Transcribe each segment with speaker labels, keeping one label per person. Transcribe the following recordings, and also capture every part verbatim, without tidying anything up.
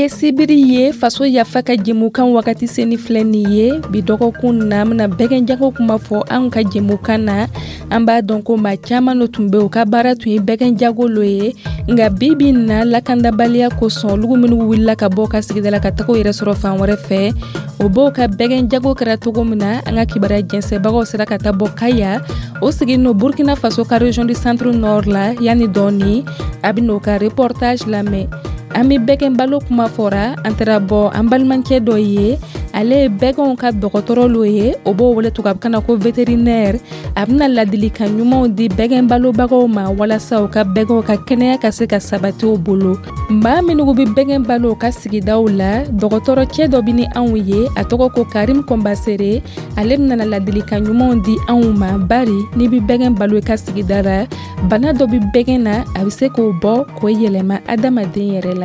Speaker 1: Bi ye sibiri ye, Faso Yafa ka jɛmukan wagati seni filɛ nin ye. Bi dɔgɔkun na, an bɛna bɛgɛn jago kuma fɔ anw ka jɛmukan na. An b'a dɔn ko maa caman lo tun bɛ, u ka baara tun ye bɛgɛn jago lo ye, nka bi bi na, lakandabaliya kosɔn, olugu minnu wulila ka bɔ ka sigida la ka taga u yɛrɛ sɔrɔ fan wɛrɛ fɛ, o b'o ka bɛgɛn jago kɛra cogo min na. An ka kibaruya jɛnsɛbagaw sera ka taa bɔ Kaya, o sigin no Burkina Faso ka région du Centre Nord la. Yanni dɔɔni, a bɛ n'o ka reportage lamɛn. An bɛ bɛgɛn balo kuma fɔra, an taara bɔ an balimakɛ dɔ ye, ale ye bɛgɛnw ka dɔgɔtɔrɔ lo ye, o b'o wele tubabukan na ko vétérinaire. A bɛna ladilikan ɲumanw di bɛgɛn balobagaw ma walasa u ka bɛgɛnw ka kɛnɛya ka se ka sabati u bolo. Maa minnu bɛ bɛgɛn balo u ka sigidaw la, dɔgɔtɔrɔ cɛ dɔ bɛ ni anw ye, a tɔgɔ ko Karim Kɔnbasere. Ale bɛna ladilikan ɲumanw di anw ma, bari n'i bɛ bɛgɛn balo i ka sigida la, bana dɔ bɛ bɛgɛn na, a bɛ se k'o bɔ k'o yɛlɛma adamaden yɛrɛ la.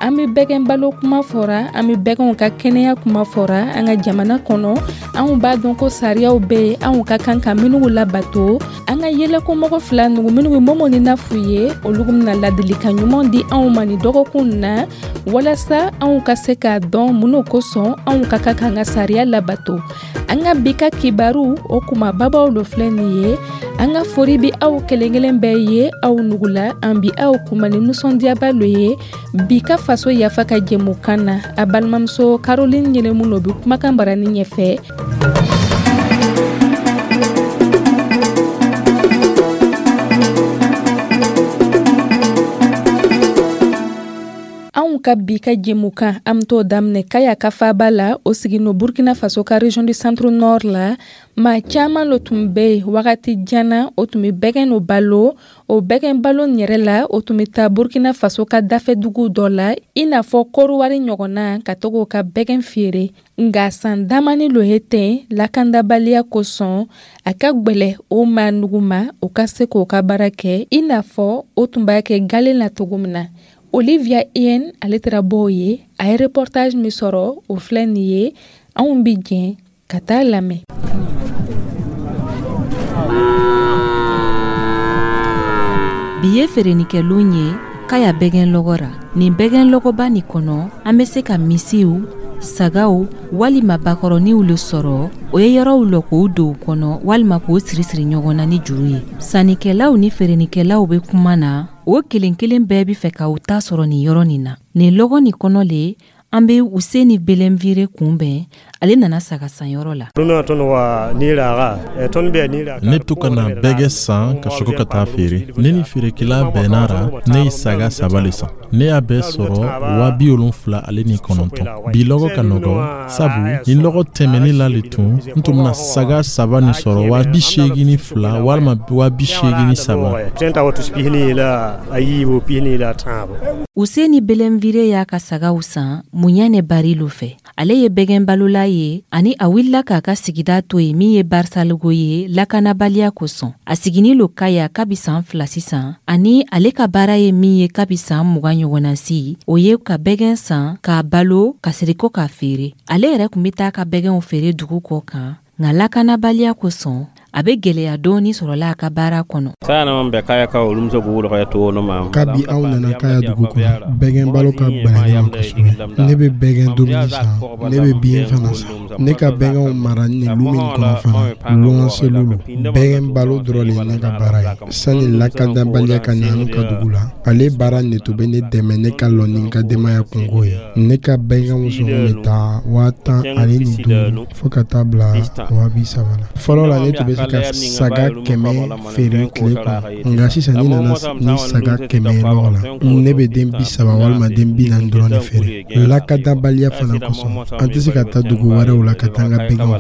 Speaker 1: An bɛ bɛgɛn balo kuma fɔra, an bɛ bɛgɛnw ka kɛnɛya kuma fɔra. An ka jamana kɔnɔ, anw b'a dɔn ko sariyaw bɛ yen, anw ka kan ka minnu labato. An ka yɛlɛkomɔgɔ fila nugu minnu ye Momo ni Nafu ye, olu bɛna ladilikan ɲuman di anw ma nin dɔgɔkun na, walasa anw ka se k'a dɔn mun kosɔn anw ka kan k'an ka sariya labato. An ka bi ka kibaru, o kumababaw lo filɛ nin ye. An ka fori bi aw kelen kelen bɛɛ ye, aw nugula. An bi aw kuma ni nisɔndiyaba lo ye bi ka Faso Yafa ka jɛmukan na. A balimamuso Caroline Ɲɛnɛmu lo bi kumakan barani ɲɛfɛ. Anw ka bi ka jɛmukan, an bɛ t'o daminɛ Kaya ka faaba la, o sigin no Burkina Faso ka région du Centre Nord la. Maa caman lo tun bɛ yen wagati jan na, o tun bɛ bɛgɛn no balo. O bɛgɛn balo in yɛrɛ la, o tun bɛ taa Burkina Faso ka dafɛ dugu dɔ la, i n'a fɔ Kɔrɔwari ɲɔgɔnna, ka to k'o ka bɛgɛn feere. Nka san damani lo ye ten, lakandabaliya kosɔn, a ka gwɛlɛ o maa nugu ma o ka se k'o ka baara kɛ i n'a fɔ o tun b'a kɛ galen la cogo min na. Olivia Ien, ale taara bɔ o ye, a ye reportage min sɔrɔ, o filɛ nin ye. Anw bi jɛn ka taa lamɛn.
Speaker 2: Bi ye feerenikɛlon ye Kaya bɛgɛn lɔgɔ ra. Nin bɛgɛn lɔgɔba nin kɔnɔ, an bɛ se ka misiw, sagaw walima bakɔrɔniw le sɔrɔ. O ye yɔrɔw lɔ k'o don kɔnɔ walima k'o siri siri ɲɔgɔn na ni juru ye. Sannikɛlaw ni feerenikɛlaw bɛ kuma na, o kelen kelen bɛɛ bɛ fɛ ka u ta sɔrɔ nin yɔrɔ nin na. Nin lɔgɔ nin kɔnɔ le, an bɛ Useni Belenvire kunbɛn. Ale nana saga sanyɔrɔ la.
Speaker 3: Ne to ka na bɛgɛ san ka sɔrɔ ka taa feere. Ne ni feerekɛla bɛnna ra, ne ye saga saba le san. Ne y'a bɛɛ sɔrɔ waa bi wolonfila ale ni kɔnɔntɔn. Bi lɔgɔ ka nɔgɔ, sabu ni lɔgɔ tɛmɛni la le tun, n tun bɛna saga saba nin sɔrɔ waa bi seegin ni fila walima waa bi seegin ni saba.
Speaker 2: Useni Belenvire y'a ka sagaw san Muɲane Barilo fɛ. Ale ye bɛgɛn balola ye, ani a wulila k'a ka sigida to yen min ye Barisalogo ye, lakanabaliya kosɔn. A siginin lo Kaya kabi san fila sisan, ani ale ka baara ye min ye kabi san mugan ɲɔgɔnna si, o ye ka bɛgɛn san k'a balo ka siriko k'a feere. Ale yɛrɛ tun bɛ taa ka bɛgɛnw feere dugu kɔ kan, nka lakanabaliya kosɔn, a bɛ gɛlɛya dɔɔni sɔrɔla a ka baara kɔnɔ.
Speaker 4: Kabi anw nana Kaya dugu kɔnɔ, bɛgɛn balo ka gbɛlɛ ne ma kosɛbɛ. Ne bɛ bɛgɛn dumuni san, ne bɛ biɲɛ fana san. Ne ka bɛgɛnw mara nin lu min kɔnɔ fana, luwanselu lo. Bɛgɛn balo dɔrɔn de ye ne ka baara ye. Sani lakandabaliya ka na an ka dugu la, ale baara nin tun bɛ ne dɛmɛ ne ka lɔ ni n ka denbaya kungo ye. Ne ka bɛgɛnw sɔngɔ bɛ taa waa tan ani ni duuru fo ka taa bila waa bi saba la. Fɔlɔ la, ne tun bɛ se ka saga kɛmɛ feere tile kɔnɔ, nka sisan ni nana ni saga kɛmɛ ye lɔgɔ la, ne bɛ den bi saba walima den bi naani dɔrɔn de feere. Lakadabaliya fana kosɔn, an tɛ se ka taa dugu wɛrɛw la ka taa an ka bɛgɛnw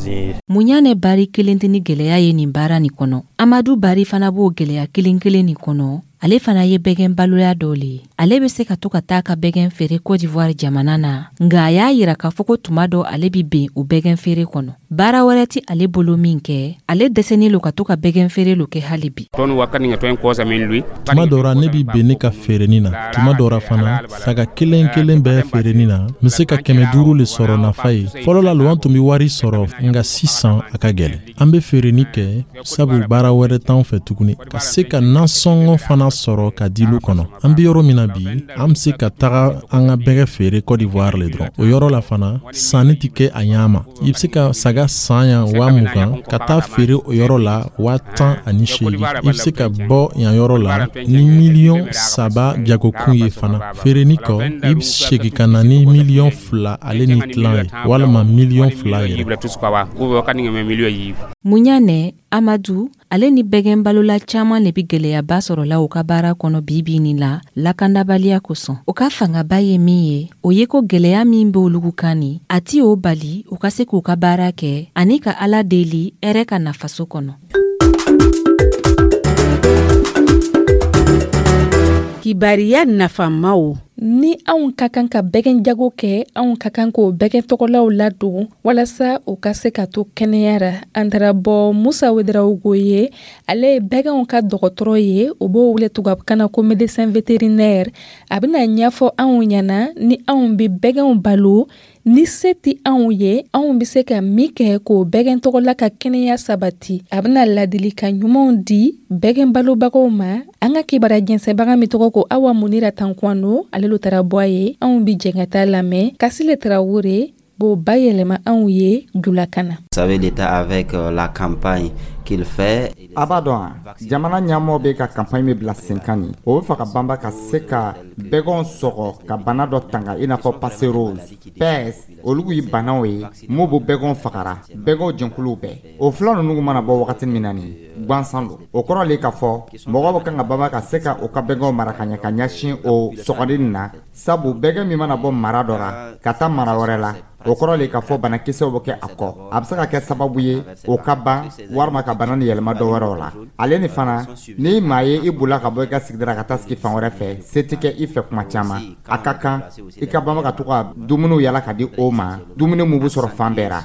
Speaker 4: feere.
Speaker 2: Muɲane Bari kelen tɛ ni gɛlɛya ye nin baara nin kɔnɔ. Amadu Bari fana b'o gɛlɛya kelen kelen nin kɔnɔ. Ale fana ye bɛgɛn baloya dɔ le ye. Ale bɛ se ka to ka taa ka bɛgɛn feere Cote d'Ivoire jamana na, nka a y'a yira k'a fɔ ko tuma dɔ ale bi ben o bɛgɛn feere kɔnɔ. Baara wɛrɛ ti ale bolo min kɛ, ale dɛsɛnen lo ka to ka bɛgɛn feere lo kɛ hali bi.
Speaker 3: Tuma dɔ ra, ne bi ben ne ka feereni na. Tuma dɔ ra fana, saga kelen kelen bɛɛ feereni na, n be se ka kɛmɛ duuru le sɔrɔ nafa ye. Fɔlɔ la lo, an tun be wari sɔrɔ, nga sisan a ka gwɛlɛ. An be feereni kɛ sabu baara wɛrɛ t'an fɛ tuguni, ka se ka nasɔngɔ fana sɔrɔ ka di lu kɔnɔ. An be yɔrɔ min na bi, an be se ka taga an ka bɛgɛ feere Cote d'Ivoire le dɔrɔn. O yɔrɔ la fana, sanni tɛ kɛ a ɲa ma. I be se ka saga san yan waa mugan, ka taa feere o yɔrɔ la waa tan ani seegin. I be se ka bɔ yan yɔrɔ la ni miliyɔn saba jagokun ye fana. Feereni kɔ, i be segi ka na ni miliyɔn fila ale ni tilan ye, walima miliyɔn fila yɛrɛ.
Speaker 2: Muɲanɛ Amadu, ale ni bɛgɛn balola caaman le be gwɛlɛyaba sɔrɔla u ka baara kɔnɔ bibi nin la, lakandabaliya kosɔn. O ka fangaba ye min ye, o ye ko gwɛlɛya min be olugu kan ni a ti o bali u ka se k'u ka baara kɛ ani ka Ala deli hɛrɛ ka na faso kɔnɔ.
Speaker 5: Kibariya nafamaw.
Speaker 1: Ni anw ka kan ka bɛgɛn jago kɛ, anw ka kan k'o bɛgɛn tɔgɔlaw ladon walasa u ka se ka to kɛnɛya ra. An taara bɔ Musa Wedarawogo ye, ale ye bɛgɛnw ka dɔgɔtɔrɔ ye, o b'o wele tubabukan na ko médecin vétérinaire. A bɛna ɲɛfɔ anw ɲɛna, ni anw bɛ bɛgɛnw balo, ni se tɛ anw ye, anw bɛ se ka min kɛ k'o bɛgɛn tɔgɔla ka kɛnɛya sabati. A bɛna ladilikan ɲumanw di bɛgɛn balobagaw ma. An ka kibaruya jɛnsɛnbaga min tɔgɔ ko Awa Munira Tankwano, ale lo taara bɔ a ye. Anw bɛ jɛn ka taa lamɛn. Kasile Tarawele b'o bayɛlɛma anw ye julakan na.
Speaker 6: Vous savez, l'État, avec euh, la campagne qu'il fait.
Speaker 7: A b'a dɔn a, jamana ɲɛmɔgɔ bɛ ka campagne min bila sen kan nin, o bɛ fɛ ka banba ka se ka bɛgɛnw sɔgɔ ka bana dɔ tanga, i n'a fɔ passerose, peste. Olu ye banaw ye mun b'o bɛgɛnw fagara, bɛgɛnw jɛnkuluw bɛɛ. O fila ninnu mana bɔ wagati min na nin gansan don, o kɔrɔ le k'a fɔ mɔgɔw bɛ kan ka banba ka se ka o ka bɛgɛnw mara ka ɲɛ ka ɲɛsin o sɔgɔli nin na, sabu bɛgɛn min mana bɔ mara dɔ la ka taa mara wɛrɛ la, o kɔrɔ le k'a fɔ banakisɛw bɛ kɛ a kɔ. A bɛ se ka kɛ sababu ye o ka ban walima ka bana ni yɛlɛma dɔ wɛrɛw la. Ale ni fana, ni maa ye i bolila ka bɔ i ka sigida ka taa sigi fan wɛrɛ fɛ, se tɛ kɛ i fɛ kuma caman, a ka kan i ka banba ka to ka dumuniw yala ka di o ma, dumuni mun bɛ sɔrɔ fan bɛɛ ra.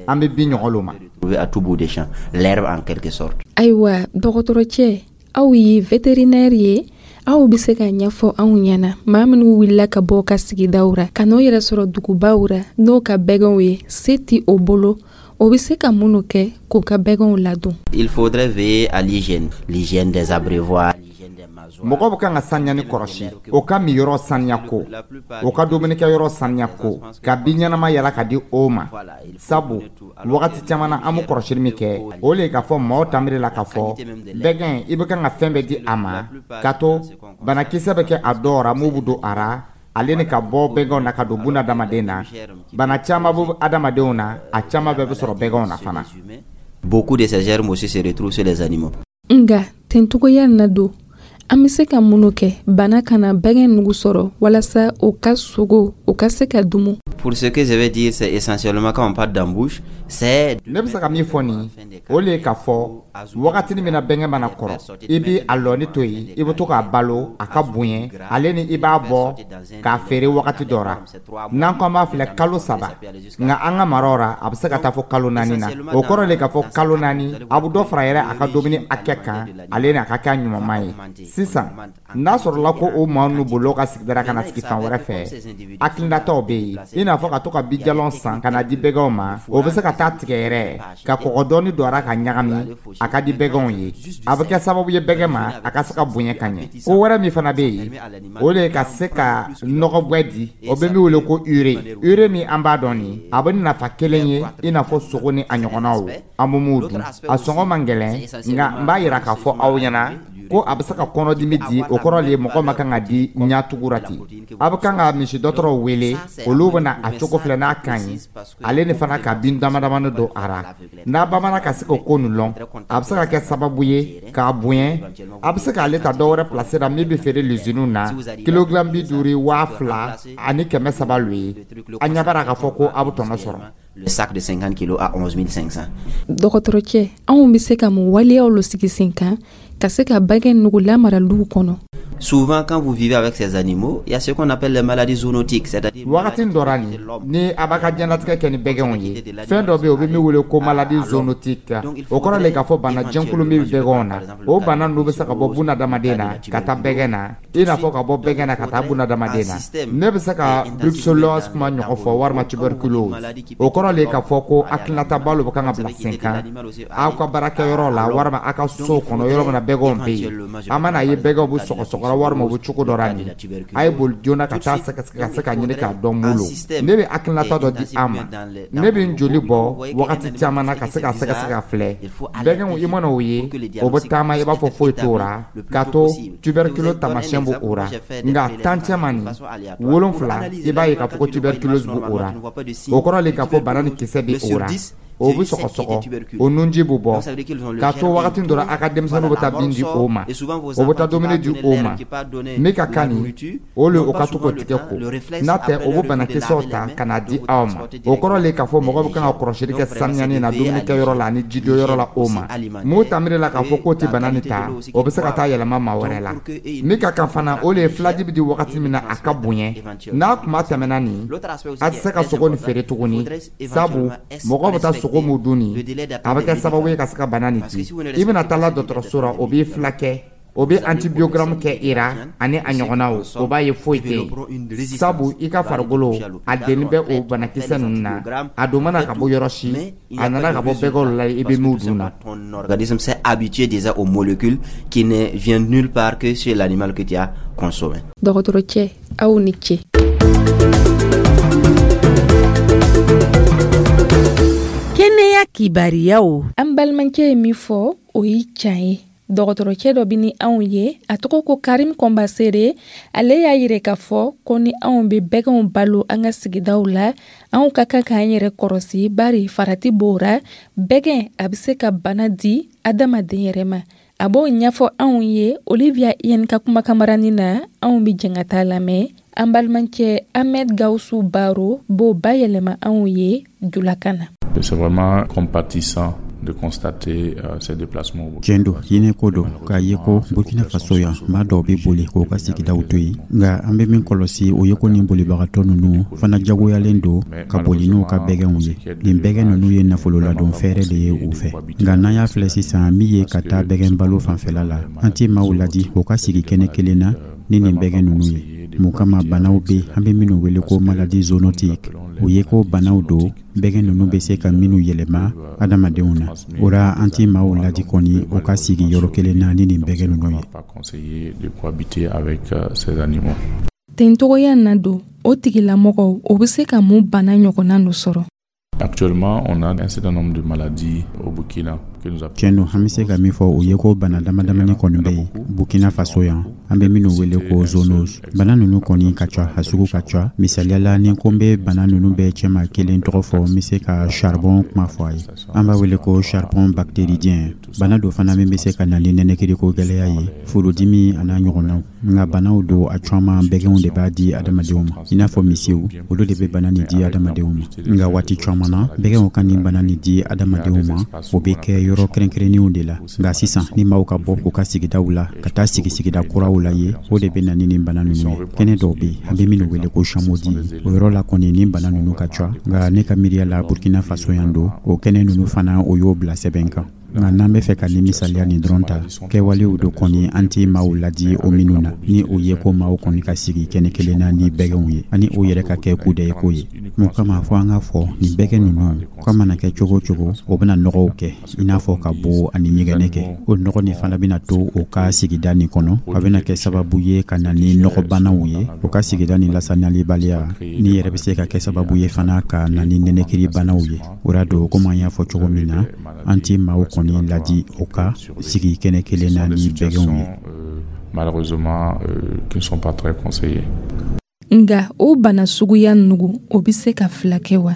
Speaker 7: An bɛ bin ɲɔgɔn ma.
Speaker 6: À tout bout des champs, l'herbe en quelque sorte.
Speaker 1: Ayiwa, dɔgɔtɔrɔcɛ, aw ye vétérinaire ye, aw bɛ se ka ɲɛfɔ anw ɲɛna, maa minnu wulila ka bɔ ka sigidaw ra ka n'o yɛrɛ sɔrɔ dugubaw ra, n'o ka bɛgɛnw ye, se ti o bolo, o bɛ se ka minnu kɛ k'o ka bɛgɛnw ladon?
Speaker 6: Il faudrait veiller à l'hygiène, l'hygiène des abreuvoirs.
Speaker 7: Mɔgɔ bɛ kan ka saniyani kɔlɔsi, o ka miyɔrɔ saniya ko, o ka dumunikɛyɔrɔ saniya ko, ka bin ɲɛnama yala ka di o ma, sabu wagati caman na, an bɛ kɔlɔsili min kɛ, o le k'a fɔ maaw tanbiri la k'a fɔ bɛgɛn, i bɛ kan ka fɛn bɛɛ di a ma, ka to banakisɛ bɛ kɛ a dɔw ra mun bɛ don a ra, ale ni ka bɔ bɛgɛnw na ka don buna adamaden na. Bana caman bɛ adamadenw na, a caman bɛɛ bɛ sɔrɔ bɛgɛnw na fana.
Speaker 6: Beaucoup de ces germes aussi se retrouvent sur les animaux.
Speaker 1: Nga tencogoya na don, an bɛ se ka minnu kɛ bana kana bɛgɛn nugu sɔrɔ walasa o ka sogo o ka se ka dumu?
Speaker 6: Pour ce que je vais dire, c'est essentiellement, quand on parle d'embouche, c'est
Speaker 7: Ne bɛ se ka min fɔ nin, o le ye k'a fɔ wagatinin min na bɛnkɛ mana kɔrɔ, i bi a lɔni to yen, i bɛ to k'a balo a ka bonya, ale ni i b'a bɔ k'a feere wagati dɔ ra. N'an ko an b'a filɛ kalo saba, nka an ka maraw ra, a bɛ se ka taa fɔ kalo naani na. O kɔrɔ le k'a fɔ kalo naani, a bɛ dɔ fara yɛrɛ a ka dumuni hakɛ kan, ale ni a ka kɛ a ɲumanma ye. Sisan n'a sɔrɔla ko o maa ninnu bolila ka sigida ka na sigi fan wɛrɛ fɛ, hakilinataw bɛ yen, i n'a fɔ ka to ka bijalɔn san ka na di bɛgɛnw ma. O bɛ se ka taa tigɛ yɛrɛ ka kɔgɔ dɔɔni don a ra ka ɲagami, a ka di bɛgɛnw ye. A bɛ kɛ sababu ye bɛgɛn ma a ka se ka bonya ka ɲɛ. Ko wɛrɛ min fana bɛ yen, o de ye ka se ka nɔgɔgbɛ di, o bɛ min wele ko urée. Urée min an b'a dɔn nin, a bɛ nafa kelen ye i n'a fɔ sogo ni a ɲɔgɔnnaw, an bɛ mun dun, a sɔngɔ man gɛlɛn, nka n b'a yira k'a fɔ aw ɲɛna ko a bɛ se ka kɔnɔdimi di. O kɔrɔ le ye mɔgɔ ma kan ka di ɲatugu ra ten. A bɛ kan ka misi dɔgɔtɔrɔw wele, olu bɛna a cogo filɛ n'a ka ɲi, ale ni fana ka bin dama damani don a ra. N'a bamana ka se k'o ko nin lɔn, a bɛ se ka kɛ sababu ye k'a bonya. A bɛ se k'ale ta dɔ wɛrɛ place la min bɛ feere luziniw na, kilogramme bi duuru, waa fila ani kɛmɛ saba lo ye. A ɲɛ b'a la k'a fɔ ko a bɛ tɔnɔ sɔrɔ.
Speaker 6: Le sac de cinquante kilos à onze mille cinq cents.
Speaker 1: Dɔgɔtɔrɔcɛ, anw bɛ se ka mun waleyaw lo sigi sen kan Ka se ka bɛgɛn nugu lamara luw kɔnɔ.
Speaker 6: Souvent, quand vous vivez avec ces animaux, il y a ce qu'on appelle les maladies zoonotiques, c'est-à-dire
Speaker 7: Wagati dɔ ra nin, ni a b'a ka diɲɛlatigɛ kɛ ni bɛgɛnw ye, fɛn dɔ bɛ yen, o bɛ min wele ko maladie zoonotique. O kɔrɔ le k'a fɔ bana jɛnkulu min bɛ bɛgɛnw na, o bana ninnu bɛ se ka bɔ bunadamaden na ka taa bɛgɛn na, i n'a fɔ ka bɔ bɛgɛn na ka taa bunadamaden na. Ne bɛ se ka brucellose kuma ɲɔgɔn fɔ walima tuberculose. O kɔrɔ le k'a fɔ ko hakilinata lo bɛ kan ka bila sen kan aw ka baarakɛyɔrɔ la walima aw ka so kɔnɔ, yɔrɔ min na bɛgɛnw bɛ yen. A mana ye bɛgɛnw bɛ sɔgɔsɔgɔra walima u bɛ cogo dɔ la nin, a ye boli joona ka taa sɛgɛsɛgɛ ka se ka ɲini k'a dɔn mun lo. Ne bɛ hakilinata dɔ di an ma. Ne bɛ n joli bɔ wagati caman na ka se ka sɛgɛsɛgɛ ka filɛ bɛgɛnw. I mana o ye, o bɛ taama i b'a fɔ foyi t'o ra, k'a to tuberculose taamasiyɛn b'o o ra. Nka tan cɛman nin wolonfila, i b'a ye k'a fɔ ko tuberculose b'o o ra. O kɔrɔ le k'a fɔ bana ni kisɛ bɛ o ra, o bɛ sɔgɔsɔgɔ, o nunji bɛ bɔ, k'a to wagati dɔ la a ka denmisɛnninw bɛ taa bin di o ma, o bɛ taa dumuni di o ma. Min ka kan nin o le, o ka to k'o tigɛ ko n'a tɛ, o bɛ banakisɛw ta ka na di aw ma. O kɔrɔ le k'a fɔ mɔgɔ bɛ kan ka kɔlɔsili kɛ sanuyani na dumunikɛyɔrɔ la ani jidonyɔrɔ la. O ma mun tamiri la k'a fɔ k'o tɛ bana nin ta, o bɛ se ka taa yɛlɛma maa wɛrɛ la. Min ka kan fana, o le ye filaji bɛ di wagati min na a ka bonya. N'a kuma tɛmɛna nin, a tɛ se ka sogo nin feere tuguni, sabu mɔgɔ bɛ taa sogo mun dun nin, a bɛ kɛ sababu ye ka se ka bana nin di. I bɛna taa la dɔgɔtɔrɔso la, o b'i fila kɛ, o bɛ antibiogramme kɛ i ra ani a ɲɔgɔnnaw, o b'a ye foyi tɛ yen, sabu i ka farikolo a deni bɛ o banakisɛ ninnu na. A don mana ka bɔ yɔrɔ si, a nana ka bɔ bɛgɛw la i bɛ min dun na.
Speaker 6: Ton organisme s'est habitué déjà aux molécules qui ne viennent nulle part que sur l'animal que tu as consommé.
Speaker 1: Dɔgɔtɔrɔcɛ, aw ni ce.
Speaker 5: Kɛnɛya kibariyaw.
Speaker 1: An balimakɛ ye min fɔ, o ye can ye. Dɔgɔtɔrɔcɛ dɔ bɛ ni anw ye, a tɔgɔ ko Karim Kɔnbasere. Ale y'a yira k'a fɔ ko ni anw bɛ bɛgɛnw balo an ka sigidaw la, anw ka kan k'an yɛrɛ kɔrɔsi, bari farati b'o ra, bɛgɛn a bɛ se ka bana di adamaden yɛrɛ ma. A b'o ɲɛfɔ anw ye Olivia Iyɛni ka kumakanmaranin na. Anw bɛ jɛn ka taa lamɛn. An balimakɛ Ahmed Gawusu Baro b'o bayɛlɛma anw ye julakan na.
Speaker 8: C'est vraiment compatissant de constater euh, ces déplacements.
Speaker 9: Tiɲɛ don, hinɛ ko don k'a ye ko Burkina Faso yan, maa dɔw bɛ boli k'u ka sigidaw to yen. Nka an bɛ min kɔlɔsi, o ye ko nin bolibagatɔ ninnu fana jagoyalen don ka boli n'u ka bɛgɛnw ye. Nin bɛgɛn ninnu ye nafololadon fɛɛrɛ de ye u fɛ. Nka n'an y'a filɛ sisan, min ye ka taa bɛgɛn balo fanfɛla la, an tɛ maaw ladi u ka sigi kɛnɛ kelen na ni nin bɛgɛn ninnu ye. Mun kama? Banaw bɛ, an bɛ minnu wele ko maladie zoonotique, o ye ko banaw don, bɛgɛn ninnu bɛ se ka minnu yɛlɛma adamadenw na. O la, an tɛ maaw ladi kɔni o ka sigi yɔrɔ kelen na ni nin bɛgɛn ninnu ye.
Speaker 8: Pas conseillé de cohabiter avec euh, ces animaux.
Speaker 1: Ten togoya na don, o tigilamɔgɔw, o bɛ se ka mun bana ɲɔgɔnna nu sɔrɔ?
Speaker 8: Actuellement, on a un certain nombre de maladies au Burkina que nous
Speaker 9: Tiɲɛ don, an bɛ se ka min fɔ, o ye ko bana dama damani kɔni bɛ yen Burkina Faso yan, an bɛ minnu wele ko zoonose. Bana ninnu kɔni ka ca, a sugu ka ca. Misaliya la, ni ko n bɛ bana ninnu bɛɛ cɛma kelen tɔgɔ fɔ, n bɛ se ka charbon kuma fɔ a ye. An b'a wele ko charbon bactéridien. Bana dɔ fana min bɛ se ka na ni nɛnɛkiriko gɛlɛya ye, furudimi a n'a ɲɔgɔnnaw. Nka banaw don, a caman bɛgɛnw de b'a di adamadenw ma, i n'a fɔ misiw, olu de bɛ bana nin di adamadenw ma. Nka waati caman na, bɛgɛnw ka nin bana nin di adamadenw ma, o bɛ kɛ yɔrɔ kɛrɛnkɛrɛnnenw de la. Nka sisan, ni maaw ka bɔ k'u ka sigidaw la ka taa sigi sigida kuraw la ye, o de bɛ na ni nin bana ninnu ye. Kɛnɛ dɔw bɛ yen, an bɛ minnu wele ko chamodi, o yɔrɔ la kɔni, ni bana ninnu ka ca. Nka ne ka miiriya la, Burkina Faso yan don, o kɛnɛ ninnu fana, o y'o bila sɛbɛn kan. Nka n'an bɛ fɛ ka nin misaliya nin dɔrɔn ta, kɛwalew do kɔni, an tɛ maaw ladi o minnu na, ni o ye ko maaw kɔni ka sigi kɛnɛ kelen na ni bɛgɛnw ye, ani o yɛrɛ ka kɛ kudɛyi ko ye. Mun kama? Fɔ an ka fɔ nin bɛgɛn ninnu k'a mana kɛ cogo o cogo, o bɛna nɔgɔw kɛ, i n'a fɔ ka bo ani ɲɛgɛnɛ kɛ. O nɔgɔ nin fana bɛna to o ka sigida nin kɔnɔ, a bɛna kɛ sababu ye ka na ni nɔgɔbanaw ye. O ka sigida nin lasaniyalibaliya ni yɛrɛ bɛ se ka kɛ sababu ye fana ka na ni nɛnɛkiribanaw ye. O la don, komi an y'a fɔ cogo min na, an tɛ maaw kɔni ladi o ka sigi kɛnɛ kelen na ni bɛgɛnw ye.
Speaker 8: Malheureusement, euh, qui ne sont pas très conseillés.
Speaker 1: Nga o bana suguya nugu, o bɛ se ka fila kɛ wa?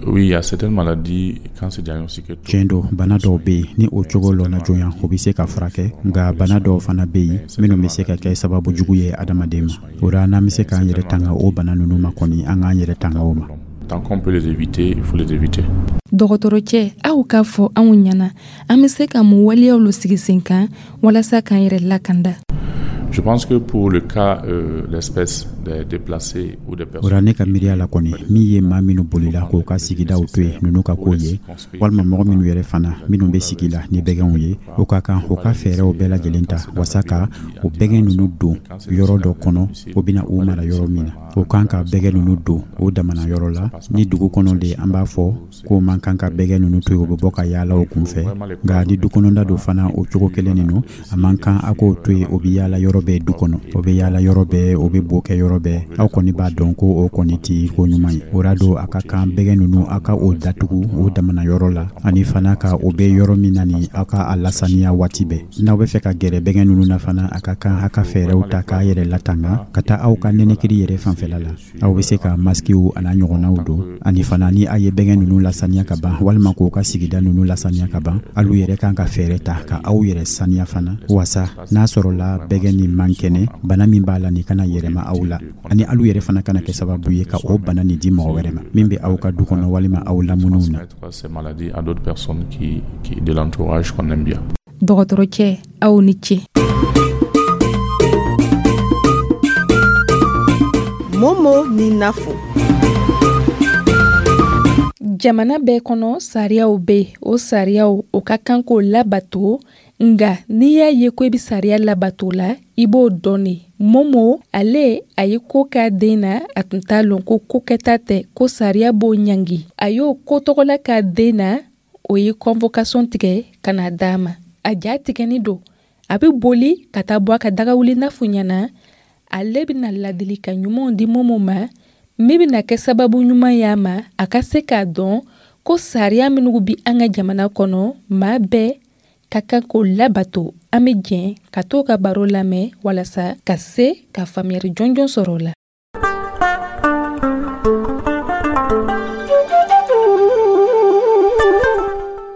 Speaker 8: Oui, il y a certaines maladies, quand c'est diagnostiqué tôt,
Speaker 9: Tiɲɛ don, bana dɔw bɛ yen, ni o cogo lɔnna joona, o bɛ se ka furakɛ. Nka bana dɔw fana bɛ yen minnu bɛ se ka kɛ sababu jugu ye adamaden ma. O la, n'an bɛ se k'an yɛrɛ tanga o bana ninnu ma kɔni, an k'an yɛrɛ tanga o ma.
Speaker 8: Tant qu'on peut les éviter, il faut les éviter.
Speaker 1: Dɔgɔtɔrɔcɛ, aw k'a fɔ anw ɲɛna, an bɛ se ka mun waleyaw lo sigi sen kan walasa k'an yɛrɛ lakanda?
Speaker 8: Je pense que pour le cas, euh, l'espèce des déplacés ou des personnes.
Speaker 9: O ra, ne ka miiriya la kɔni, min ye maa minnu bolila k'u ka sigidaw to yen, ninnu ka ko ye, walima mɔgɔ minnu yɛrɛ fana minnu bɛ sigi la ni bɛgɛnw ye, o ka kan u ka fɛɛrɛw bɛɛ lajɛlen ta wasa ka o bɛgɛn ninnu don yɔrɔ dɔ kɔnɔ, o bɛna u mara yɔrɔ min na. O kan ka bɛgɛn ninnu don o damana yɔrɔ la. Ni dugu kɔnɔ de, an b'a fɔ k'o man kan ka bɛgɛn ninnu to yen, o bɛ bɔ ka yaala o kunfɛ. Nka ni du kɔnɔda don fana, o cogo kelen nin don, a man kan a k'o to yen, o bɛ yaala yɔrɔ bɛɛ du kɔnɔ, o bɛ yaala yɔrɔ bɛɛ, o bɛ bo kɛ yɔrɔ bɛɛ. Aw kɔni b'a dɔn ko o kɔni ti ko ɲuman ye. O ra don, a ka kan bɛgɛn ninnu, a ka o datugu o damana yɔrɔ la, ani fana ka o bɛ yɔrɔ min na ni, aw ka a lasaniya waati bɛɛ. N'aw bɛ fɛ ka gɛrɛ bɛgɛn ninnu na fana, a ka kan a ka fɛɛrɛw ta k'a yɛrɛ latanga ka taa aw ka nɛnɛkiri yɛrɛ fanfɛla la. Aw bɛ se ka maskiw a n'a ɲɔgɔnnaw don. Ani fana, ni a ye bɛgɛn ninnu lasaniya ka ban, walima k'o ka sigida ninnu lasaniya ka ban, alu yɛrɛ kan ka fɛɛrɛ ta ka aw yɛrɛ saniya fana, wasa n'a sɔrɔla bɛgɛn nin man kɛnɛ, bana min b'a la nin kana yɛrɛma aw la, ani alu yɛrɛ fana kana kɛ sababu ye ka o bana nin di mɔgɔ wɛrɛ ma min bɛ aw ka du kɔnɔ walima aw lamuniw na.
Speaker 8: Ces maladies à d'autres personnes qui, qui de l'entourage qu'on aime bien.
Speaker 1: Dɔgɔtɔrɔcɛ, aw ni ce.
Speaker 5: Momo ni Nafo.
Speaker 1: Jamana bɛɛ kɔnɔ, sariyaw bɛ yen. O sariyaw, o ka kan k'o labato. Nga n'i y'a ye ko i bɛ sariya labato la, i b'o dɔn de. Momo ale, a ye ko k'a den na, a tun t'a lɔn ko ko kɛta tɛ, ko sariya b'o ɲangi. A y'o ko tɔgɔla k'a den na, o ye convocation tigɛ ka na d'a ma. A ja tigɛni don, a bɛ boli ka taa bɔ a ka dagawuli Nafu ɲɛna. Ale bɛna ladilikan ɲumanw di Momo ma min bɛna kɛ sababu ɲuman y'a ma, a ka se k'a dɔn ko sariya minnu bi an ka jamana kɔnɔ, maa bɛɛ ka kan k'o labato. An bɛ jɛn ka t'o ka baro lamɛn walasa ka se ka faamuyali jɔnjɔn sɔrɔ o la.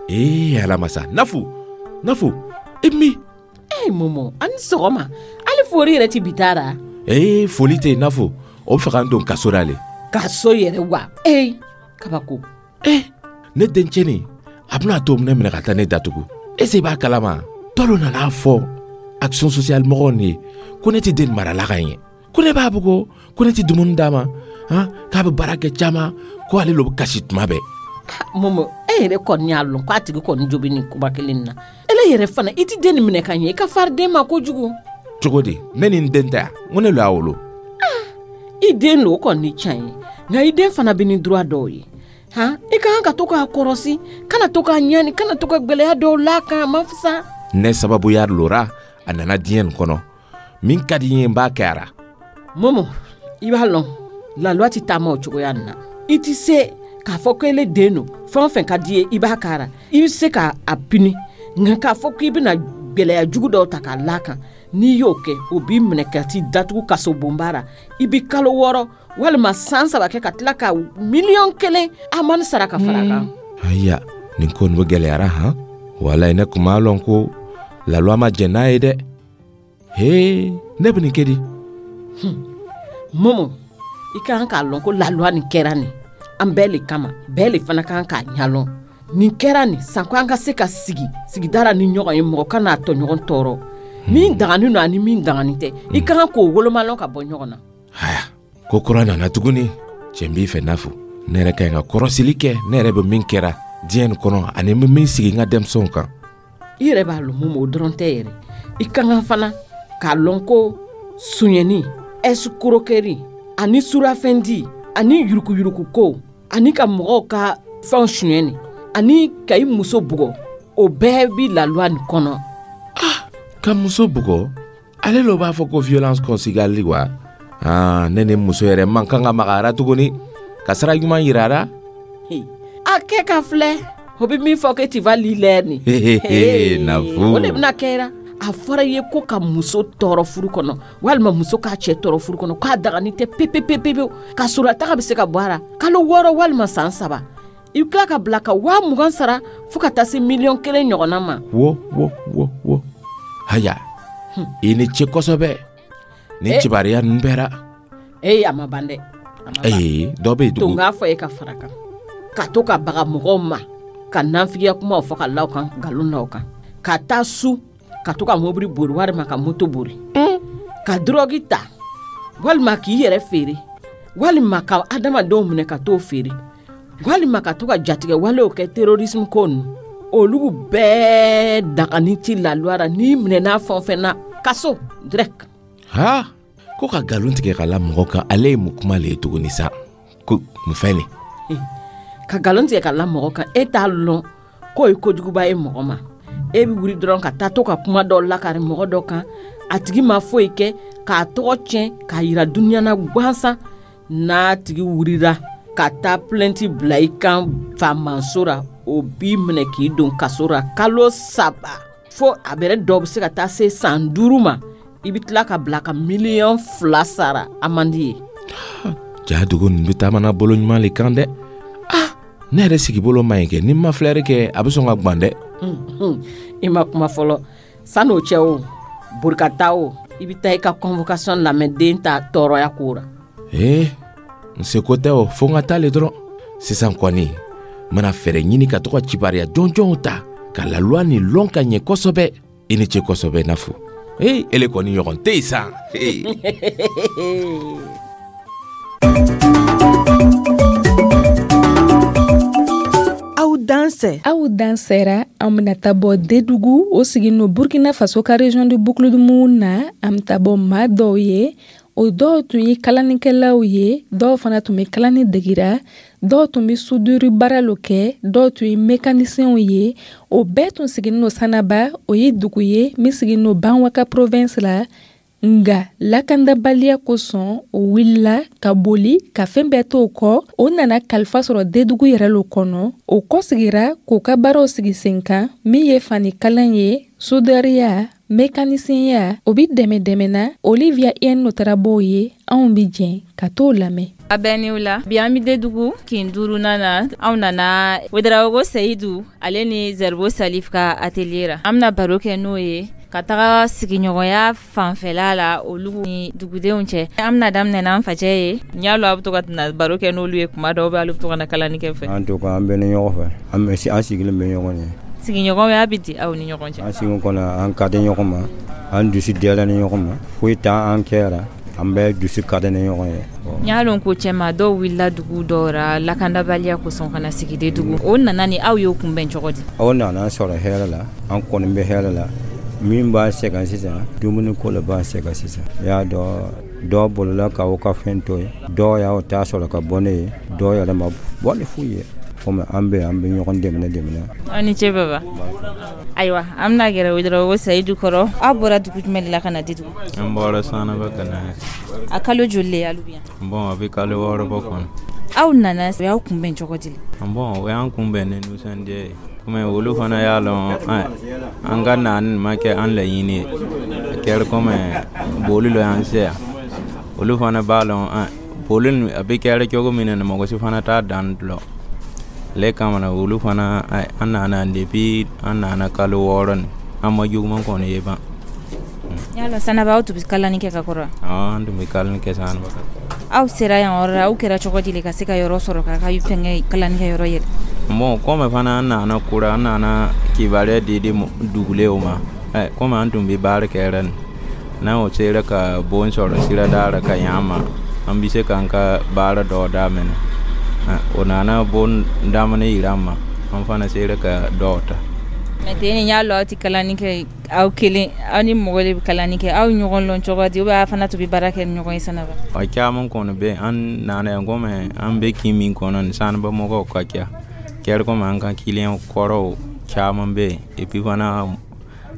Speaker 10: Ee ala masa, Nafu, Nafu, i mi?
Speaker 5: Ee Momo, a ni sɔgɔma. Hali fori yɛrɛ ti bi taara.
Speaker 10: Ee, foli tɛ yen Nafu, o bɛ fɛ k'an don kaso la le.
Speaker 5: Kaso yɛrɛ wa? Ee, kabako.
Speaker 10: Ee, ne dencɛnin, a bɛna to ne minɛ ka taa ne datugu. Ese i b'a kalama? Tɔlo nana fɔ action sociale mɔgɔw ni ye ko ne tɛ den marala ka ɲɛ, ko ne b'a bugɔ, ko ne tɛ dumuni d'a ma, han, k'a bɛ baara kɛ caman, ko ale lo bɛ kasi tuma bɛɛ.
Speaker 5: Momo, e yɛrɛ kɔni y'a lɔn k'a tigi kɔni jo bɛ nin kuma kelen na. Ele yɛrɛ fana, i ti den nin minɛ ka ɲɛ, i ka fari den ma kojugu.
Speaker 10: Cogo di? Ne ni n den tɛ yan, n ko ne lo y'a wolo.
Speaker 5: I den lo, o kɔni tiɲɛ ye, nka i den fana bɛ ni droit dɔw ye. Han, i ka kan ka to k'a kɔrɔsi, kana to k'a ɲani, kana to ka gwɛlɛya dɔw la kan, a ma fisa.
Speaker 10: Ne sababuya lora a nana diɲɛ nin kɔnɔ, min ka di n ye, n b'a kɛ a ra.
Speaker 5: Momo, i b'a lɔn la loi ti taama o cogoya nin na. I ti se k'a fɔ ko ele den don, fɛn o fɛn ka di ye i b'a k'a ra, i bɛ se k'a pini, nka k'a fɔ k'i bɛna gwɛlɛya jugu dɔw ta k'a la kan, n'i y'o kɛ, o b'i minɛ ka t'i datugu kaso bonba ra. I bɛ kalo wɔɔrɔ walima san saba kɛ ka tila ka miliyɔn kelen amani sara ka fara a kan.
Speaker 10: Ayiya, nin ko nin bɛ gɛlɛyara han. Walayi, ne kun m'a lɔn ko la loi ma jɛn n'a ye dɛ. Hee, ne bɛ nin kɛ di?
Speaker 5: Momo, i ka kan k'a lɔn ko la loi nin kɛra nin an bɛɛ le kama, bɛɛ le fana kan k'a ɲalɔn. Nin kɛra nin sanko an ka se ka sigi sigida ni ɲɔgɔn ye, mɔgɔ kana tɔɲɔgɔn tɔɔrɔ. Min dagani don ani min dagani tɛ, i ka kan k'o wolomalɔn ka bɔ ɲɔgɔn na.
Speaker 10: Haya, ko kura nana tuguni. Cɛ b'i fɛ Nafu, ne yɛrɛ ka ɲi ka kɔrɔsili kɛ, ne yɛrɛ bɛ min kɛra diɲɛ nin kɔnɔ ani n bɛ min sigi n ka denmisɛnw kan.
Speaker 5: I yɛrɛ b'a lɔn Momo, o dɔrɔn tɛ yɛrɛ. I ka kan fana k'a lɔn ko sonyɛni, escroquerie ani surafɛndi ani yurukuyurukuko ani ka mɔgɔw ka fɛnw sonyɛni ani ka i muso bugɔ, o bɛɛ bi la loi nin kɔnɔ.
Speaker 10: Ah, ka muso bugɔ, ale lo b'a fɔ ko violence conjugale wa? Ah, ne ni muso yɛrɛ man kan ka magara tuguni ka sira ɲuman yira a la.
Speaker 5: A kɛ ka filɛ, o bɛ min fɔ que tu vas lire nin.
Speaker 10: Nafu,
Speaker 5: o de bɛna kɛ. A fɔra i ye ko ka muso tɔɔrɔ furu kɔnɔ walima muso k'a cɛ tɔɔrɔ furu kɔnɔ, k'a dagani tɛ pepepepewu, ka sɔrɔ a taga bɛ se ka bɔ a la kalo wɔɔrɔ walima san saba. I bɛ tila ka bila ka waa mugan sara fo ka taa se miliyɔn kelen ɲɔgɔnna ma.
Speaker 10: Wo wo wo wo, haya, i ni ce kosɛbɛ nin kibaruya ninnu bɛɛ la.
Speaker 5: Ee, a ma ban dɛ,
Speaker 10: Ee, dɔ bɛ yen
Speaker 5: To
Speaker 10: tugun.
Speaker 5: n k'a fɔ e ka fara kan, ka to ka baga mɔgɔw ma, ka nanfigiya kumaw fɔ ka la kan, nkalon da kan, ka taa su ka to ka mobili bori walima ka moto bori, ka dɔrɔgi ta walima k'i yɛrɛ feere, walima ka adamadenw minɛ ka t'o feere, walima ka to ka jatigɛ walew kɛ, terrorisme ko ninnu, olu bɛɛ dagani ti la loi ra. N'i minɛna fɛn o fɛn na, kaso direct.
Speaker 10: Ha, ko ka nkalon tigɛ ka la mɔgɔ kan, ale ye mun kuma le ye tuguni sa? Ko mun fɛn le?
Speaker 5: Ka nkalon tigɛ ka la mɔgɔ kan, e t'a lɔn k'o ye kojuguba ye mɔgɔ ma. E bɛ wuli dɔrɔn ka taa to ka kuma dɔ lakari mɔgɔ dɔ kan, a tigi ma foyi kɛ, k'a tɔgɔ tiɲɛ k'a yira dunuya na gansan. N'a tigi wulila ka taa plainte bila i kan faamaso ra, o b'i minɛ k'i don kaso ra kalo saba, fo a bɛrɛ dɔw bɛ se ka taa se san duuru ma. I bɛ tila ka bila ka miliyɔn fila sara amende ye.
Speaker 10: Ja, dugu nin bɛ taamana bolo ɲuman le kan dɛ. Ah, ne yɛrɛ sigibolo ma ɲi kɛ. Ni n ma filɛri kɛ, a bɛ sɔn ka gwan dɛ.
Speaker 5: I ma kuma fɔlɔ. San'o cɛ, o bori ka taa, o i bɛ taa i ka convocation lamɛn den ta tɔɔrɔya ko ra.
Speaker 10: Ee, n seko tɛ o, fo n ka taa le dɔrɔn. Sisan kɔni, n bɛna fɛɛrɛ ɲini ka to ka kibariya jɔnjɔnw ta ka la loi nin lɔn ka ɲɛ kosɛbɛ. I ni ce kosɛbɛ, Nafu. Ee, ele kɔni ɲɔgɔn tɛ yen sa. Ee.
Speaker 11: Aw dansɛ.
Speaker 1: Aw dansɛra. An bɛna taa bɔ Dedugu, o sigin no Burkina Faso ka région de Boucle-du-Mouhoun na. An bɛ taa bɔ maa dɔw ye, o dɔw tun ye kalanikɛlaw ye, dɔw fana tun bɛ kalani degira, dɔw tun bɛ soudure baara lo kɛ, dɔw tun ye mécaniciens ye. O bɛɛ tun siginin no Sanaba, o ye dugu ye min siginin no Banwaka province la. Nga lakandabaliya kosɔn, o wulila ka boli ka fɛn bɛɛ t'o kɔ. O nana kalifa sɔrɔ Dedugu yɛrɛ lo kɔnɔ. O kɔsegira k'o ka baaraw sigi sen kan, min ye fanikalan ye, sudariya, mekanisiyɛnya, o bi dɛmɛ dɛmɛna. Olivia Iyɛn taara b'o ye. Anw bi jɛn ka t'o lamɛn.
Speaker 2: A bɛɛ niw la. Bi an bɛ Dedugu kin duurunan na. Anw nana Wedarawogo Seyidu ale ni Zɛribo Salif ka atelier ra. An bɛna baro kɛ n'o ye ka taga sigiɲɔgɔnya fanfɛla la olu ni dugudenw cɛ. An bɛna daminɛ n'an facɛ ye. N y'a lɔn a bɛ to ka na baro kɛ n'olu ye kuma dɔw bɛ, olu bɛ to ka na kalani kɛ fɛ.
Speaker 12: An to an bɛ ni ɲɔgɔn fɛ, an bɛ an sigilen bɛ ɲɔgɔn ye.
Speaker 2: Sigiɲɔgɔnya bɛ di aw ni ɲɔgɔn cɛ?
Speaker 12: An sigi kɔnɔ, an ka di ɲɔgɔn ma, an dusu diyara ni ɲɔgɔn ma, foyi t'an kɛra, an bɛɛ dusu ka di ni ɲɔgɔn ye.
Speaker 2: N y'a lɔn ko cɛma dɔw wulila dugu dɔw ra lakandabaliya kosɔn ka na sigi Dedugu. O nana ni aw y'o kunbɛn cogo di?
Speaker 12: Aw nana sɔrɔ hɛrɛ la, an kɔni bɛ hɛrɛ la. Min b'a sɛgɛn sisan, dumuni ko le b'a sɛgɛn sisan. I y'a dɔn, dɔw bolila k'aw ka fɛn to yen, dɔw y'aw ta sɔrɔ ka bɔ ne ye, dɔw yɛrɛ ma bɔ ni foyi ye. Komi an bɛ an bɛ ɲɔgɔn dɛmɛ dɛmɛ.
Speaker 2: Aw ni ce baba. Ayiwa, an bɛna gɛrɛ Wedarawogo Seyidu kɔrɔ. Aw bɔra dugu jumɛn de la ka na Dedugu?
Speaker 13: An bɔra Sanaba ka na.
Speaker 2: A kalo joli le y'alu bi yan?
Speaker 13: Bon, a bɛ kalo wɔɔrɔ bɔ kɔnɔ.
Speaker 2: Aw nana, o y'aw kunbɛn cogo di?
Speaker 13: Bon, o y'an kunbɛn ni nisɔndiya ye. Komi olu fana y'a lɔn an ka na nin ma kɛ an laɲini ye. A kɛra komi boli lo y'an se yan. Olu fana b'a lɔn boli a bɛ kɛra cogo min na, mɔgɔ si fana t'a dan lɔn. Ale kama na olu fana an nana depuis an nana kalo wɔɔrɔ nin, an ma juguman kɔni ye ban.
Speaker 2: Y'a lɔn Sanaba aw tun bɛ kalani kɛ ka kɔrɔ?
Speaker 13: Awɔ, an tun bɛ kalani kɛ Sanaba.
Speaker 2: Aw sera yan yɔrɔ la, aw kɛra cogo di ka se ka yɔrɔ sɔrɔ k'a ka fɛngɛ kalani kɛ yɔrɔ yɛlɛ?
Speaker 13: Bon, komi fana an nana kura, an nana kibaruya di di dugulenw ma. Ɛ, komi an tun bɛ baara kɛ nin, n'an o sera ka bon sɔrɔ sirada la ka ɲɛ ma, an bɛ se k'an ka baara dɔ daminɛ. O nana bon daminɛ yira an ma, an fana sera ka dɔw ta.
Speaker 2: Mɛ ten y'a lɔn aw tɛ kalani kɛ aw kelen, aw ni mɔgɔ de bɛ kalani kɛ. Aw ɲɔgɔn lɔn cogo di, ou bien aw fana tun bɛ baara kɛ ni ɲɔgɔn ye Sanaba?
Speaker 13: A caman kɔni bɛ an nana yan, komi an bɛ kin min kɔnɔ nin, Sanaba mɔgɔw ka ca. Kɛra komi an ka client kɔrɔw caman bɛ yen. Et puis fana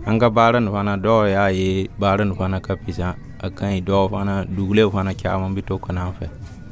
Speaker 13: an ka baara nin fana, dɔw y'a ye baara nin fana ka fisa, a ka ɲi. Dɔw fana dugulenw fana caman bɛ to ka na an fɛ.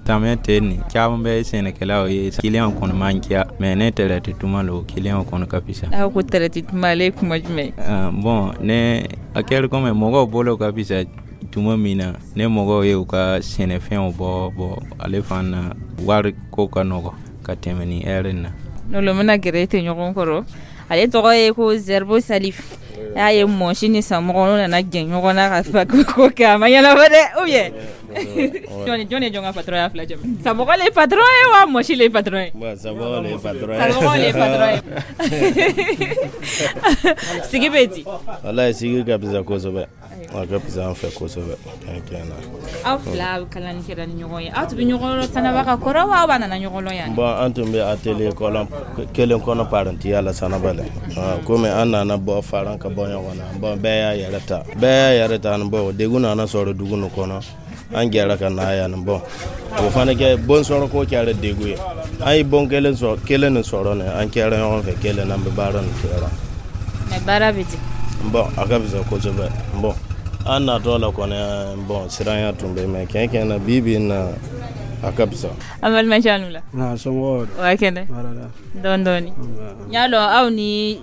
Speaker 13: Samiya tɛ nin, caman bɛ sɛnɛkɛlaw ye, client kɔni man ca, mais ne tɛrɛti tuma lo, client kɔni ka fisa.
Speaker 2: Aw ko tɛrɛti tuma, ale ye kuma jumɛn ye?
Speaker 13: Bon, ne a kɛra komi mɔgɔw bolo ka fisa tuma min na, ne mɔgɔw ye u ka sɛnɛfɛnw bɔ bɔ, ale fana wari ko ka nɔgɔ ka tɛmɛ ni ɛri na.
Speaker 2: N'olu bɛna gɛrɛ tɛ ɲɔgɔn kɔrɔ. Ale tɔgɔ ye ko Zɛribo Salif. Y'a ye mɔsi ni samɔgɔ n'o nana jɛ ɲɔgɔn na ka fa ko kɛ, a ma ɲɛnabɔ dɛ, ou bien?
Speaker 14: Jɔn jɔn ye jɔn ka patron ye fila cɛ? Samɔgɔ le ye patron ye wa Mɔsi le ye patron ye?
Speaker 15: Bon, Samɔgɔ le ye patron ye.
Speaker 14: Samɔgɔ le ye patron ye. Sigi bɛ di?
Speaker 15: Walayi, sigi ka fisa kosɛbɛ. A ka fisa an fɛ kosɛbɛ. Tiɲɛ tiɲɛ na.
Speaker 14: Aw fila kalani kɛra ni ɲɔgɔn ye. Aw tun bɛ ɲɔgɔn Sanaba ka kɔrɔ wa aw b'a nana ɲɔgɔn lɔn yan?
Speaker 15: Bon, an tun bɛ atelier kɔlɔn kelen kɔnɔ parantiya la Sanaba la. Komi an nana bɔ faran ka bɔ ɲɔgɔn na. Bon, bɛɛ y'a yɛrɛ ta. Bɛɛ y'a yɛrɛ ta ni bon, degun nana sɔrɔ dugu nin kɔnɔ. An jɛra ka na yan. Bon, o fana kɛ bon sɔrɔ ko kɛra degun ye. An ye bon kelen sɔrɔ kelen nin sɔrɔ nin, an kɛra ɲɔgɔn fɛ kelen, an bɛ baara nin kɛra.
Speaker 14: Mais baara bɛ di?
Speaker 15: Bon, a ka fisa kosɛbɛ. Bon, an natɔ la kɔni, bon, siranya tun bɛ, mais tiɲɛ tiɲɛ na, bi bi in na, a ka fisa.
Speaker 14: An balimakɛ, aw ni wula.
Speaker 16: Nka somɔgɔw?
Speaker 14: O ka kɛnɛ. Dɔɔni dɔɔni. N y'a dɔn aw ni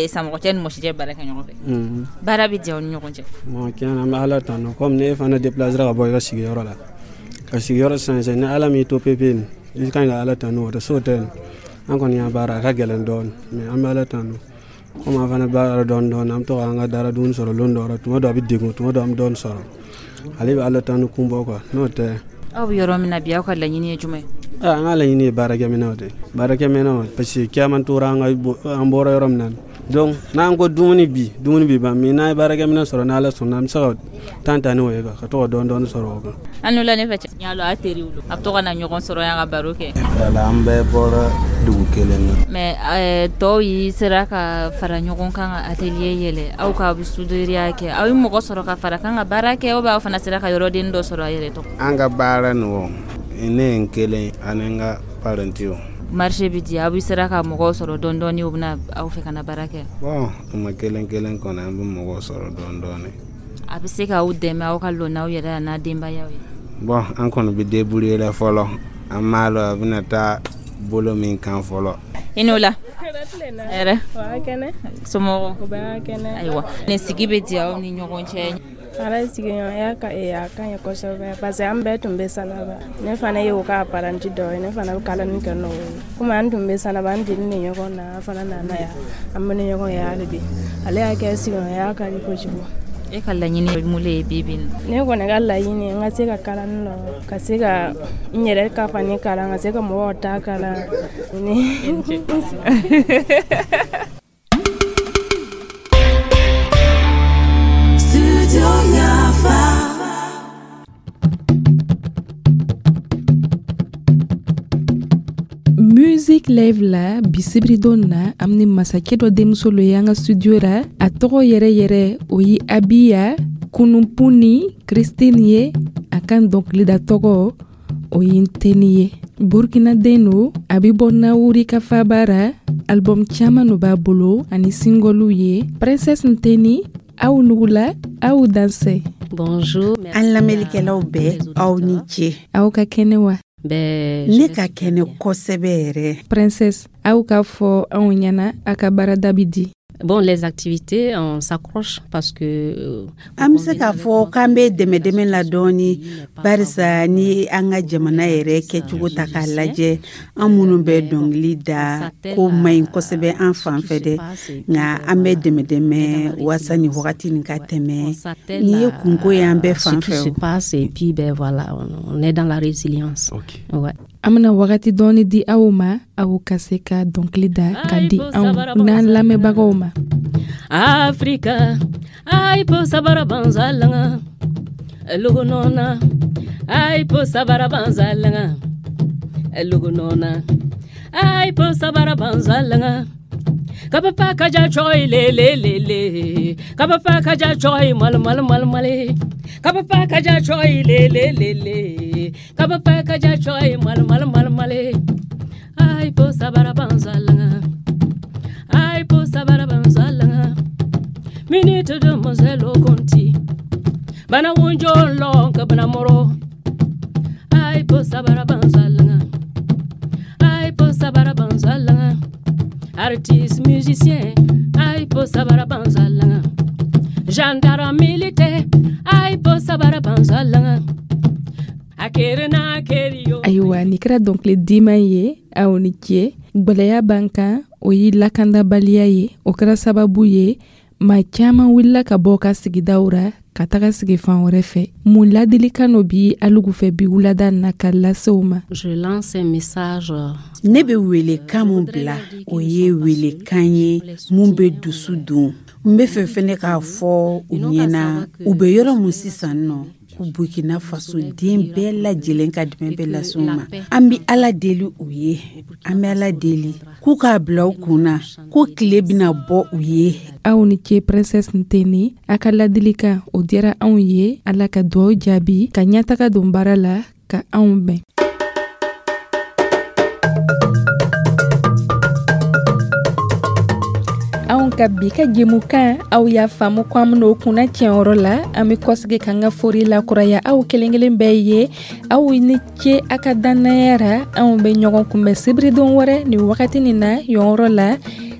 Speaker 14: Samɔgɔcɛ ni Mɔsicɛ baara kɛ ɲɔgɔn fɛ. Baara bɛ diya aw ni ɲɔgɔn cɛ?
Speaker 16: Bon, tiɲɛ na, an bɛ Ala tanu. Komi ne fana déplacé ka bɔ i ka sigiyɔrɔ la ka sigiyɔrɔ changer, ni Ala m'i to pepe nin, i ka ɲi ka Ala tanu. O tɛ so tɛ nin. An kɔni y'an baara, a ka gɛlɛn dɔɔni, mais an bɛ Ala tanu. Komi an fana baara dɔɔni dɔɔni, an bɛ to k'an ka dara dumuni sɔrɔ lon dɔw la. Tuma dɔ a bɛ degun, tuma dɔ an bɛ dɔɔni sɔrɔ. Ale bɛ Ala tanu kun bɔ quoi, n'o tɛ.
Speaker 14: Aw bɛ yɔrɔ min na bi, aw ka laɲini ye jumɛn ye?
Speaker 16: An ka laɲini ye baarakɛminɛnw de ye, baarakɛminɛnw, parce que caman tora an ka an bɔra yɔrɔ min na. Donc n'an ko dumuni bi, dumuni bi ban, mais n'an ye baarakɛminɛn sɔrɔ, n'Ala sɔnna, an bɛ se ka tan ta n'o ye ka to ka dɔɔni dɔɔni sɔrɔ o kan.
Speaker 14: An n'o la ne fɛ cɛ. N y'a dɔn a teriw don, a bɛ to ka na ɲɔgɔn sɔrɔ yan ka baro kɛ.
Speaker 13: Wala, an bɛɛ bɔra dugu kelen na.
Speaker 14: Mais tɔw y'i sera ka fara ɲɔgɔn kan ka atelier yɛlɛ, aw ka soudure kɛ, aw ye mɔgɔ sɔrɔ ka fara kan ka baara kɛ, ou bien aw fana sera ka yɔrɔden dɔ sɔrɔ a yɛrɛ tɔgɔ?
Speaker 13: An ka baara nin o, ne ye n kelen ani n ka parentiw.
Speaker 14: Marché bɛ di, aw bɛ sera ka mɔgɔw sɔrɔ dɔɔni dɔɔni, u bɛna aw fɛ ka na baara kɛ?
Speaker 13: Bon, tuma kelen kelen kɔni, an bɛ mɔgɔw sɔrɔ dɔɔni dɔɔni.
Speaker 14: A bɛ se k'aw dɛmɛ aw ka lɔ n'aw yɛrɛ n'a denbayaw ye?
Speaker 13: Bon, an kɔni bɛ débrouiller la fɔlɔ, an m'a lɔn a bɛna taa bolo min kan fɔlɔ.
Speaker 14: I n'o la. Hɛrɛ. Somɔgɔw? Ayiwa, nin sigi bɛ di aw ni ɲɔgɔn cɛ?
Speaker 17: Ala sigiɲɔgɔnya ka a ka ɲi kosɛbɛ, parce que an bɛɛ tun bɛ Sanaba. Ne fana ye o ka apprenti dɔ ye, ne fana bɛ kalani kɛ n'o ye. Komi an tun bɛ Sanaba, an deli ni ɲɔgɔn na, an fana nana yan, an bɛ ni ɲɔgɔn ye hali bi. Ale y'a kɛ sigiɲɔgɔnya ka di kojugu.
Speaker 14: E ka laɲini ye mun ye bi bi in na?
Speaker 17: Ne kɔni ka laɲini, n ka se ka kalani lɔ, ka se ka n yɛrɛ ka fani kalan, ka se ka mɔgɔw ta kalan.
Speaker 1: Music Live la bi sibiridon na, an ni masakɛ dɔ denmuso lo ye an ka studio la. A tɔgɔ yɛrɛ yɛrɛ o ye Abiya Kununpuni Christine ye. A kan dɔnkilida tɔgɔ o ye Nteni ye. Burkina den lo, a bɛ bɔ Nawuri ka faba ra. Album caman lo b'a bolo ani singlew ye. Princesse Nteni, aw nugula, aw dansɛ.
Speaker 18: Bonjour.
Speaker 19: An lamɛnnikɛlaw bɛɛ, aw ni ce.
Speaker 1: Aw ka kɛnɛ wa?
Speaker 19: Ne ka kɛnɛ kosɛbɛ yɛrɛ.
Speaker 1: Princesse, aw k'a fɔ anw ɲɛna a ka baarada bɛ di?
Speaker 18: Bon, les activités, on s'accroche parce que
Speaker 19: an bɛ se k'a fɔ k'an bɛ dɛmɛ dɛmɛ la dɔɔni, barisa ni an ka jamana yɛrɛ kɛcogo ta k'a lajɛ, an minnu bɛ dɔnkili da, ko man ɲi kosɛbɛ an fan fɛ dɛ, nka an bɛ dɛmɛ dɛmɛ walasa nin wagati nin ka tɛmɛ. Nin ye kunko ye an bɛɛ fan fɛ.
Speaker 18: Ce qui se passe, et puis ben voilà, on est dans la résilience.
Speaker 1: Okay. Ouais. An bɛna wagati dɔɔni di aw ma, aw ka se ka dɔnkili da ka di anw n'an lamɛnbagaw ma.
Speaker 18: Afrika, ai po sabara banzalanga, lugunona, ai po sabara banzalanga, lugunona, ai po sabara banzalanga. Kabapa kaja choi le le le le, kabapa kaja choi mal mal mal male, kabapa kaja choi le le le le, kabapa kaja choi mal mal mal male. Ai po sabara banzalanga, ai po sabara banzalanga. Minute de mozelo konti, bana wonjo long ka bana moro. Ai po sabara banzalanga, ai po sabara banzalanga. Artiste, musicien, ay po sabara banzalanga. Gendarme, militaire, ay po sabara banzalanga. Akere na akere yo.
Speaker 1: Ayiwa, nin kɛra dɔnkili diman ye, aw ni ce. Gwɛlɛya b'an kan, o ye lakandabaliya ye. O kɛra sababu ye Maa caman wulila ka bɔ ka sigidaw ra ka taga sigi fan wɛrɛ fɛ. Mun ladilikan no bi alugu fɛ bi wulada na ka lase u ma?
Speaker 19: Ne bɛ welekan mun bila, o ye welekan ye mun bɛ dusu don. N bɛ fɛ fɛnɛ k'a fɔ u ɲɛna, u bɛ yɔrɔ mun sisan nɔ, ko Burkina Faso den bɛɛ lajɛlen ka dɛmɛ bɛ lase u ma. An bɛ Ala deli u ye, an bɛ Ala deli k'u k'a bila u kun na ko tile bɛna bɔ u ye.
Speaker 1: Aw ni ce, Princesse Nteni. A ka ladilikan, o diyara anw ye. Ala ka duwaw jaabi, ka ɲɛtaga don baara la, ka anw bɛn. Anw ka bi ka jɛmukan, aw y'a faamu ko an ben'o kunna tiɲɛyɔrɔ la. An be kɔsigi k'an ka fori lakuraya aw kelen kelen bɛɛ ye. Aw ni ce a ka dannaya ra. Anw be ɲɔgɔn kunbɛn sibiridon wɛrɛ nin wagati nin na yɔrɔ la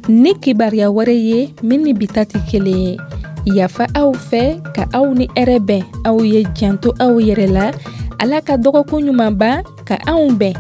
Speaker 1: ni kibaruya wɛrɛ ye min ni bi ta tɛ kelen ye. Yafa aw fɛ, ka aw ni hɛrɛ bɛn. Aw ye janto aw yɛrɛ la. Ala ka dɔgɔkun ɲuman ban, ka anw bɛn.